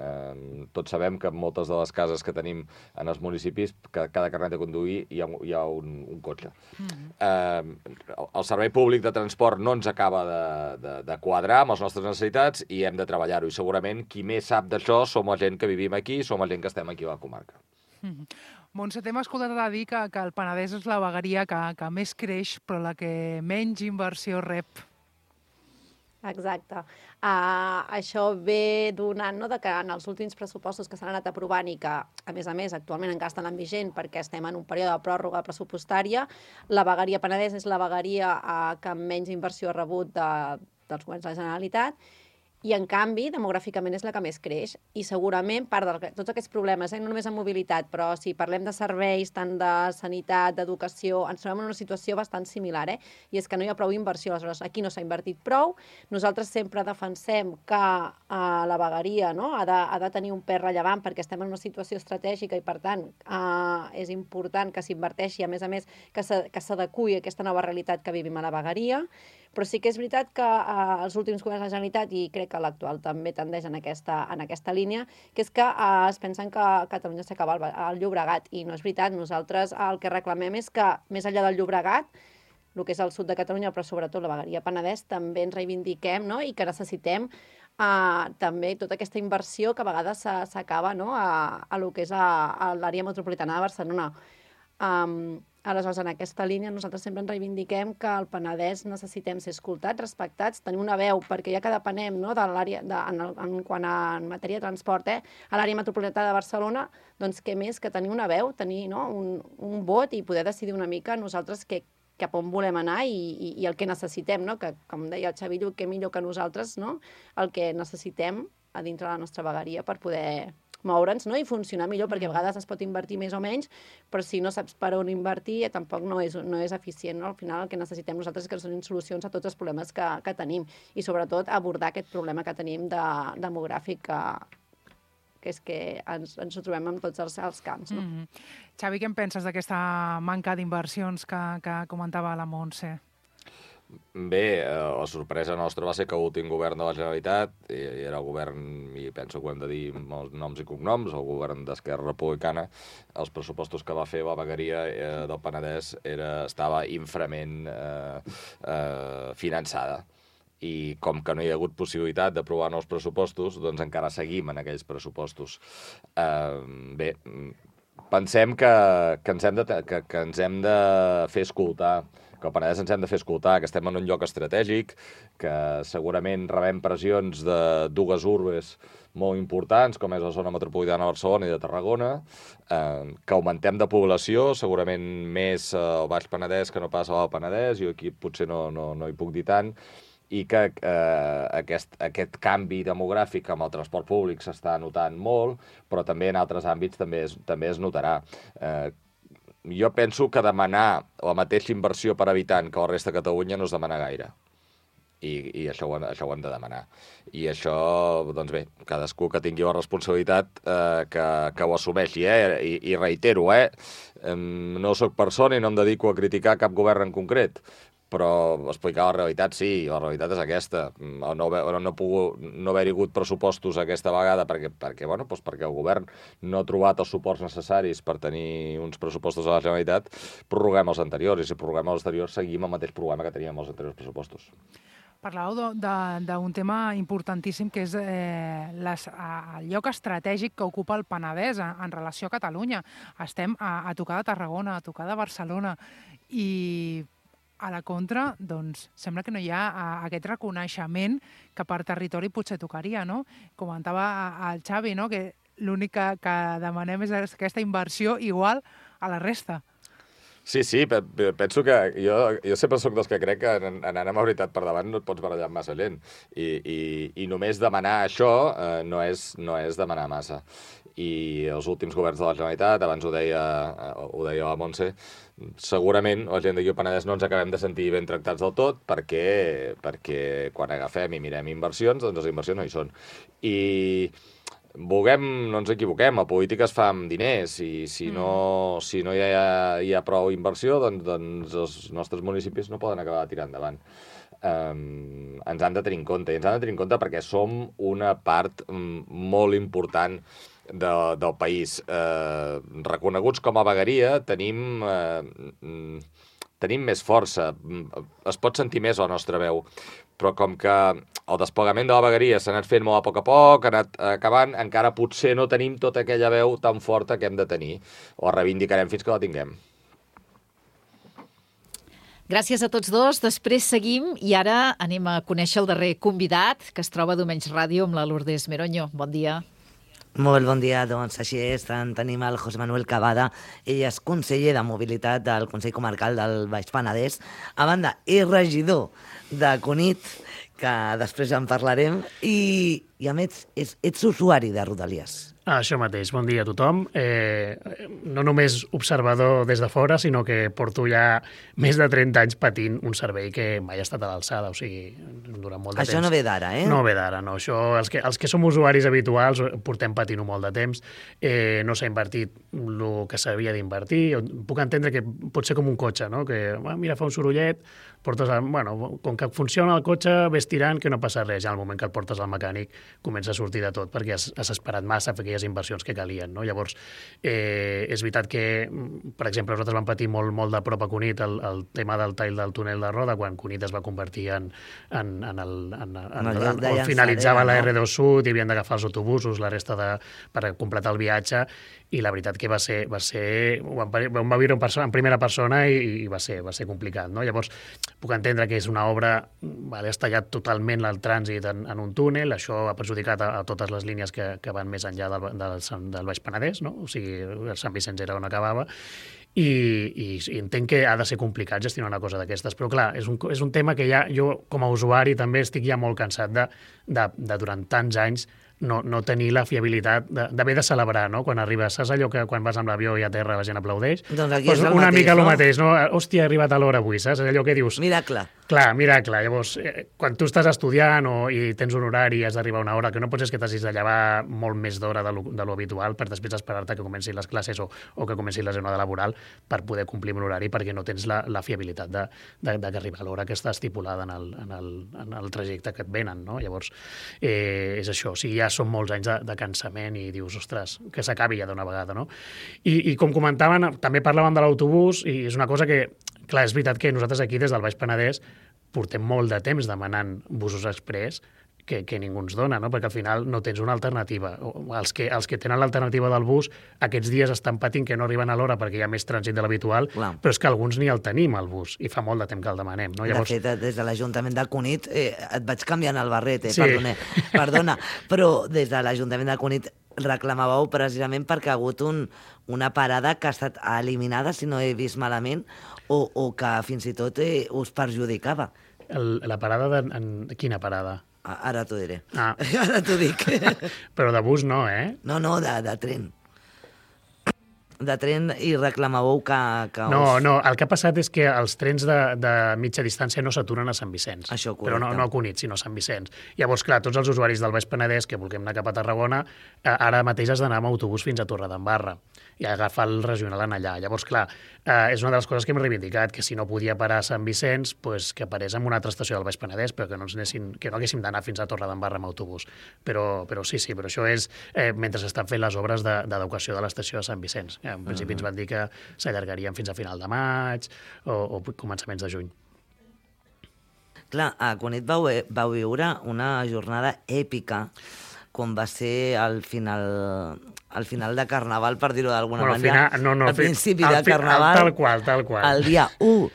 Eh, tots sabem que en moltes de les cases que tenim en els municipis, que cada carnet de conduir hi ha, hi ha un, un cotxe. Mm-hmm. Eh, el servei públic de transport no ens acaba de, de, de quadrar amb les nostres necessitats i hem de treballar-ho. I segurament qui més sap d'això som la gent que vivim aquí, som la gent que estem aquí a la comarca. Mm-hmm. Montse, t'hem escoltat a dir que, que el Penedès és la vegueria que, que més creix, però la que menys inversió rep. Exacte. Uh, això ve donant, no?, de que en els últims pressupostos que s'han anat aprovant i que, a més a més, actualment encara estan en vigent perquè estem en un període de pròrroga pressupostària, la vegueria Penedès és la vegueria uh, que menys inversió ha rebut de, dels governs de la Generalitat, i, en canvi, demogràficament és la que més creix. I segurament, part de tots aquests problemes, eh, no només en mobilitat, però si parlem de serveis, tant de sanitat, d'educació, ens trobem en una situació bastant similar, eh? I és que no hi ha prou inversió. Aleshores, aquí no s'ha invertit prou. Nosaltres sempre defensem que eh, la vegueria, no?, ha, de, ha de tenir un pes rellevant perquè estem en una situació estratègica i, per tant, eh, és important que s'inverteixi, a més a més, que s'adequi a aquesta nova realitat que vivim a la vegueria. Però sí que és veritat que eh, els últims governs de la Generalitat, i crec que l'actual també tendeix en aquesta, en aquesta línia, que és que eh, es pensen que Catalunya s'acaba al, al Llobregat, i no és veritat. Nosaltres el que reclamem és que, més enllà del Llobregat, el que és el sud de Catalunya, però sobretot la vegueria Penedès, també ens reivindiquem, no?, i que necessitem eh, també tota aquesta inversió que a vegades s'acaba, no?, a, a lo que és a, a l'àrea metropolitana de Barcelona. Um, Aleshores, en aquesta línia, nosaltres sempre ens reivindiquem que al Penedès necessitem ser escoltats, respectats, tenir una veu, perquè ja que depenem, no?, de l'àrea, de, en, en quant a en matèria de transport, eh, a l'àrea metropolitana de Barcelona, doncs què més que tenir una veu, tenir, no?, un, un vot i poder decidir una mica nosaltres què, cap on volem anar i, i, i el que necessitem, no?, que, com deia el Xavi Lluc, que millor que nosaltres, no?, el que necessitem a dintre de la nostra vegueria per poder moure'ns, no?, i funcionar millor, perquè a vegades es pot invertir més o menys, però si no saps per on invertir, eh, tampoc no és, no és eficient, no? Al final el que necessitem nosaltres és que donin solucions a tots els problemes que, que tenim, i sobretot abordar aquest problema que tenim de, demogràfic, que, que és que ens, ens ho trobem en tots els, els camps. No? Mm-hmm. Xavi, què en penses d'aquesta manca d'inversions que, que comentava la Montse? Bé, la sorpresa nostra va ser que l'últim govern de la Generalitat, i era el govern, i penso que ho hem de dir amb noms i cognoms, el govern d'Esquerra Republicana, els pressupostos que va fer la vegueria eh, del Penedès era, estava inframent eh, eh, finançada. I com que no hi ha hagut possibilitat d'aprovar nous pressupostos, doncs encara seguim en aquells pressupostos. Eh, bé, pensem que, que, ens hem de, que, que ens hem de fer escoltar, que al Penedès ens hem de fer escoltar, que estem en un lloc estratègic, que segurament rebem pressions de dues urbes molt importants, com és la zona metropolitana de Barcelona i de Tarragona, eh, que augmentem de població, segurament més al Baix Penedès que no pas al Penedès, i aquí potser no, no, no hi puc dir tant, i que eh, aquest, aquest canvi demogràfic amb el transport públic s'està notant molt, però també en altres àmbits també es, també es notarà. Eh, jo penso que demanar la mateixa inversió per habitant que la resta de Catalunya no es demana gaire. I, i això, ho, això ho hem de demanar. I això, doncs bé, cadascú que tingui la responsabilitat eh, que, que ho assumeixi, eh? I, i reitero, eh? No soc persona i no em dedico a criticar cap govern en concret, però explicar la realitat sí, la realitat és aquesta. No, no, no, pogut, no haver-hi hagut pressupostos aquesta vegada perquè, perquè, bueno, doncs perquè el govern no ha trobat els suports necessaris per tenir uns pressupostos a la Generalitat, prorroguem els anteriors, i si prorroguem els anteriors seguim el mateix problema que teníem els anteriors pressupostos. Parlàveu d'un tema importantíssim que és eh, les, el lloc estratègic que ocupa el Penedès en, en relació a Catalunya. Estem a, a tocar de Tarragona, a tocar de Barcelona, i a la contra, doncs, sembla que no hi ha a, aquest reconeixement que per territori potser tocaria, no? Comentava el Xavi, no?, que l'únic que, que demanem és aquesta inversió igual a la resta. Sí, sí, penso que jo, jo sempre soc dels que crec que anant amb la veritat per davant no et pots barallar amb massa gent. I, i, i només demanar això eh, no, és, no és demanar massa. I els últims governs de la Generalitat, abans ho deia, ho deia la Montse, segurament la gent d'aquí al Penedès no ens acabem de sentir ben tractats del tot perquè, perquè quan agafem i mirem inversions, doncs les inversions no hi són. I vulguem, no ens equivoquem, la política es fa amb diners, i si no, si no hi ha, hi ha prou inversió, doncs, doncs els nostres municipis no poden acabar tirant endavant. Um, ens han de tenir en compte, i ens han de tenir en compte perquè som una part um, molt important de, del país. Uh, reconeguts com a vegueria, tenim, uh, tenim més força, es pot sentir més la nostra veu, però com que el desplegament de la vegueria s'ha anat fent molt a poc a poc, ha anat acabant, encara potser no tenim tota aquella veu tan forta que hem de tenir, o reivindicarem fins que la tinguem. Gràcies a tots dos. Després seguim i ara anem a conèixer el darrer convidat que es troba a Domenys Ràdio amb la Lourdes Meroño. Bon dia. Molt bon dia, doncs així és, tenim el José Manuel Cavada, ell és conseller de Mobilitat del Consell Comarcal del Baix Penedès, a banda, és regidor de Cunit, que després en parlarem, i, i a més ets, ets usuari de Rodalies. Això mateix, bon dia a tothom. Eh, no només observador des de fora, sinó que porto ja més de trenta anys patint un servei que mai ha estat a l'alçada, o sigui, durant molt de Això temps. Això no ve d'ara, eh? No ve d'ara, no. Això, els, que, els que som usuaris habituals portem patint-ho molt de temps. Eh, no s'ha invertit el que s'havia d'invertir. Puc entendre que pot ser com un cotxe, no? Que, ah, mira, fa un sorollet, portes... A, bueno, com que funciona el cotxe, ves tirant, que no passa res. Ja al moment que el portes al mecànic comença a sortir de tot, perquè has, has esperat massa per aquelles inversions que calien, no? Llavors, eh, és veritat que, per exemple, nosaltres vam patir molt, molt de prop a Cunit el, el tema del tall del túnel de Roda, quan Cunit es va convertir en... en, en el, en, en, en, en on finalitzava la erre dos Sud i havien d'agafar els autobusos, la resta de, per completar el viatge, i la veritat que va ser... Va ser ho vam, ho vam viure en, persona, en primera persona i, i va, ser, va ser complicat, no? Llavors, puc entendre que és una obra... Vale, has tallat totalment el trànsit en, en un túnel, això ha perjudicat a, a totes les línies que, que van més enllà del, del, del Baix Penedès, no? O sigui, el Sant Vicenç era on acabava, i, i, i entenc que ha de ser complicat gestionar una cosa d'aquestes, però clar, és un, és un tema que ja jo com a usuari també estic ja molt cansat de, de, de durant tants anys no, no tenir la fiabilitat d'haver de, de celebrar, no? Quan arribes, saps allò que quan vas amb l'avió i a terra la gent aplaudeix? Doncs aquí pues és el una mateix, mica no? el mateix, no? Hòstia, he arribat a l'hora avui, saps? Allò que dius... Miracle. Clar, miracle. Llavors, eh, quan tu estàs estudiant o, i tens un horari i has d'arribar a una hora, que no pots és que t'hagis de llevar molt més d'hora de, lo, de lo habitual per després esperar-te que comencin les classes o, o que comenci la jornada laboral per poder complir amb l'horari, perquè no tens la, la fiabilitat de, de, de que arribar a l'hora que està estipulada en el, en, el, en el trajecte que et venen, no? Llavors, eh, és això. O sigui, ja són molts anys de, de cansament i dius, ostres, que s'acabi ja d'una vegada, no? I, i com comentaven, també parlàvem de l'autobús i és una cosa que, clar, és veritat que nosaltres aquí des del Baix Penedès portem molt de temps demanant busos express que, que ningú ens dona, no? Perquè al final no tens una alternativa. Els que, els que tenen l'alternativa del bus aquests dies estan patint que no arriben a l'hora perquè hi ha més trànsit de l'habitual, però és que alguns ni el tenim, el bus, i fa molt de temps que el demanem. No? Llavors... De fet, des de l'Ajuntament de Cunit eh, et vaig canviant el barret, eh? Sí. Perdona, perdona, però des de l'Ajuntament de Cunit reclamàveu precisament perquè ha hagut un, una parada que ha estat eliminada, si no he vist malament, o, o que fins i tot eh, us perjudicava. El, la parada de... En, quina parada? Ara t'ho diré. Ah. Ara t'ho dic. Però de bus no, eh? No, no, de, de tren. De tren i reclamàveu que... que no, us... no, el que ha passat és que els trens de, de mitja distància no s'aturen a Sant Vicenç. Això, correcte. Però no, no a Cunit, sinó a Sant Vicenç. Llavors, clar, tots els usuaris del Baix Penedès que vulguem anar cap a Tarragona, eh, ara mateix has d'anar amb autobús fins a Torredembarra i agafar el regional en allà. Llavors, clar, eh, és una de les coses que hem reivindicat, que si no podia parar a Sant Vicenç, pues, que parés en una altra estació del Baix Penedès, però que no, ens anessin, que no haguéssim d'anar fins a Torredembarra amb autobús. Però, però sí, sí, però això és eh, mentre s'estan fent les obres d'educació de, de l'estació de Sant Vicenç. Eh, en principi uh -huh. ens van dir que s'allargarien fins a final de maig o, o començaments de juny. Clar, a Cunit vau, vau viure una jornada èpica quan va ser al final, al final de Carnaval, per dir-ho d'alguna bueno, manera. Final, no, no, al principi al de fi, Carnaval. Tal qual, tal qual. El dia u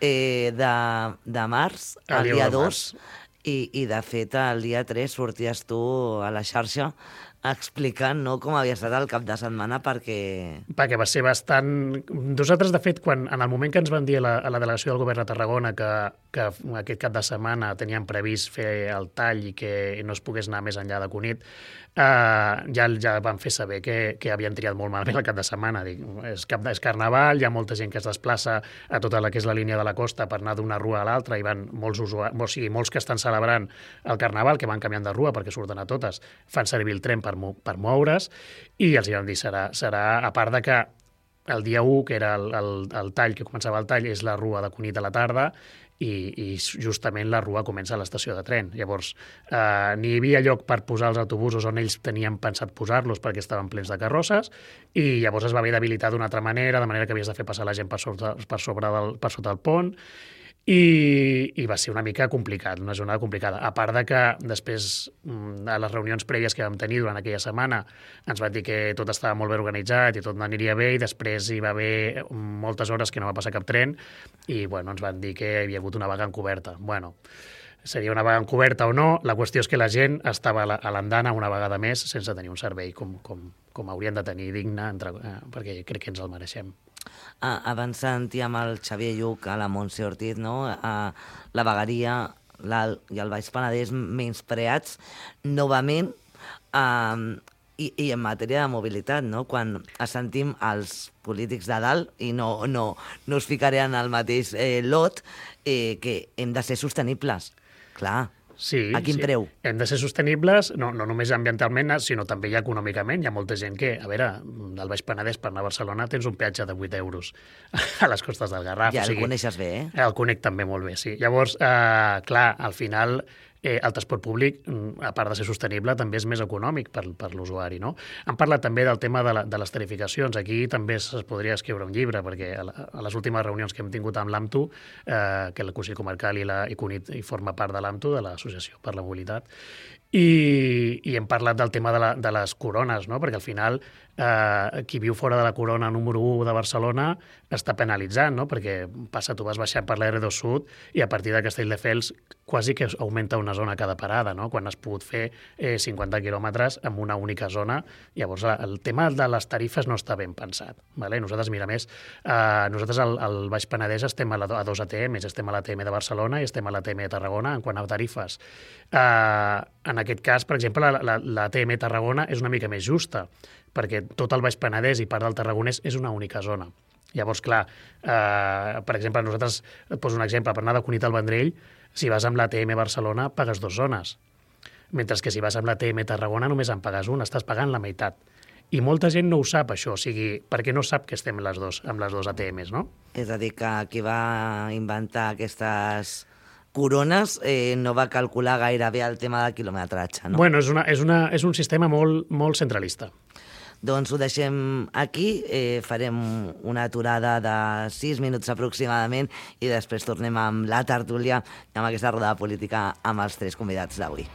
eh, de, de març, el, el dia, dia dos, i, i de fet el dia tres sorties tu a la xarxa explicant, no, com havia estat el cap de setmana, perquè... Perquè va ser bastant... Nosaltres, de fet, quan, en el moment que ens van dir a la, a la delegació del govern de Tarragona que, que aquest cap de setmana tenien previst fer el tall i que no es pogués anar més enllà de Cunit, eh, ja, ja van fer saber que, que havien triat molt malament el cap de setmana. Dic, és, cap de, és Carnaval, hi ha molta gent que es desplaça a tota la que és la línia de la costa per anar d'una rua a l'altra, i van molts usuaris, o sigui, molts que estan celebrant el Carnaval, que van canviant de rua perquè surten a totes, fan servir el tren per, per moure's, i els hi vam dir, serà, serà a part de que el dia u, que era el, el, el tall, que començava el tall, és la rua de Cunit a la tarda, i, i justament la rua comença a l'estació de tren. Llavors, eh, ni hi havia lloc per posar els autobusos on ells tenien pensat posar-los perquè estaven plens de carrosses, i llavors es va haver d'habilitar d'una altra manera, de manera que havies de fer passar la gent per, sobre, per, sobre del, per sota el pont, i, i va ser una mica complicat, una jornada complicada. A part de que després, a les reunions prèvies que vam tenir durant aquella setmana, ens van dir que tot estava molt ben organitzat i tot aniria bé, i després hi va haver moltes hores que no va passar cap tren, i bueno, ens van dir que hi havia hagut una vaga encoberta. Bueno, seria una vaga encoberta o no, la qüestió és que la gent estava a l'andana una vegada més sense tenir un servei com, com, com haurien de tenir digne, entre, eh, perquè crec que ens el mereixem. Ah, abans sentíem el Xavier Lluc, a la Montse Ortiz, no? Ah, la vegueria l'Alt i el Baix Penedès menyspreats novament, ah, i, i en matèria de mobilitat, no? Quan sentim els polítics de dalt, i no, no, no us ficaré en el mateix eh, lot, eh, que hem de ser sostenibles. Clar. Sí, a quin sí. preu? Hem de ser sostenibles, no, no només ambientalment, sinó també ja econòmicament. Hi ha molta gent que, a veure, del Baix Penedès per anar a Barcelona tens un peatge de vuit euros a les costes del Garraf. Ja, o sigui, el coneixes bé, eh? El conec també molt bé, sí. Llavors, eh, clar, al final, eh, el transport públic, a part de ser sostenible, també és més econòmic per, per l'usuari, no? Han parlat també del tema de, la, de les tarificacions. Aquí també es podria escriure un llibre, perquè a, la, a les últimes reunions que hem tingut amb l'AMTU, eh, que el Consell Comarcal i la i CUNIT i forma part de l'AMTU, de l'Associació per la Mobilitat, i, i hem parlat del tema de, la, de les corones, no? Perquè al final eh, qui viu fora de la corona número u de Barcelona està penalitzant, no? Perquè passa, tu vas baixant per la erre dos Sud i a partir de Castelldefels quasi que augmenta una zona cada parada, no? Quan has pogut fer eh, cinquanta quilòmetres en una única zona. Llavors, el tema de les tarifes no està ben pensat. Vale? Nosaltres, mira, més, eh, nosaltres al, al Baix Penedès estem a, la, a dos A T Ms, estem a l'A T M de Barcelona i estem a l'A T M de Tarragona en quant a tarifes. Eh, en aquest cas, per exemple, la, la, la T M Tarragona és una mica més justa, perquè tot el Baix Penedès i part del Tarragonès és una única zona. Llavors, clar, eh, per exemple, nosaltres, et poso un exemple, per anar de Cunit al Vendrell, si vas amb la T M Barcelona pagues dues zones, mentre que si vas amb la T M Tarragona només en pagues una, estàs pagant la meitat. I molta gent no ho sap, això, o sigui, perquè no sap que estem les dos, amb les dues A T Ms, no? És a dir, que qui va inventar aquestes corones eh, no va calcular gaire bé el tema del quilometratge, no? Bueno, és, una, és, una, és un sistema molt, molt centralista. Doncs ho deixem aquí, eh, farem una aturada de sis minuts aproximadament i després tornem amb la tertúlia i amb aquesta roda política amb els tres convidats d'avui.